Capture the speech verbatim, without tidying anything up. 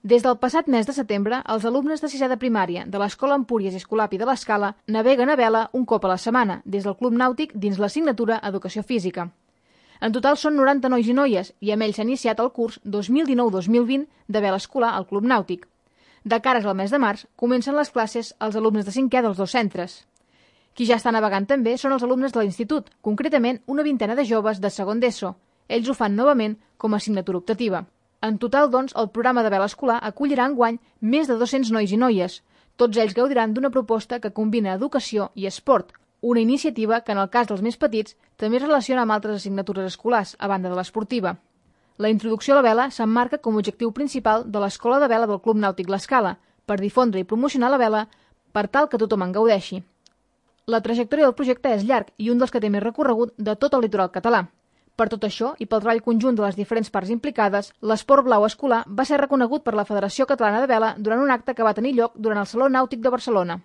Des del passat mes de setembre, els alumnes de sisè de primària de l'Escola Empúries i Escolapi de l'Escala naveguen a vela un cop a la setmana des del Club Nàutic dins l'assignatura Educació Física. En total són noranta nois i noies i amb ells s'ha iniciat el curs dos mil dinou dos mil vint de vela escolar al Club Nàutic. De cares al mes de març comencen les classes als alumnes de cinquè dels dos centres. Qui ja està navegant també són els alumnes de l'institut, concretament una vintena de joves de segon d'ESO. Ells ho fan novament com a assignatura optativa. En total, doncs, el programa de vela escolar acollirà enguany més de dos-cents nois i noies. Tots ells gaudiran d'una proposta que combina educació i esport, una iniciativa que, en el cas dels més petits, també es relaciona amb altres assignatures escolars, a banda de l'esportiva. La introducció a la vela s'emmarca com a objectiu principal de l'Escola de Vela del Club Nàutic L'Escala, per difondre i promocionar la vela per tal que tothom en gaudeixi. La trajectòria del projecte és llarg i un dels que té més recorregut de tot el litoral català. Per tot això, i pel treball conjunt de les diferents parts implicades, l'esport blau escolar va ser reconegut per la Federació Catalana de Vela durant un acte que va tenir lloc durant el Saló Nàutic de Barcelona.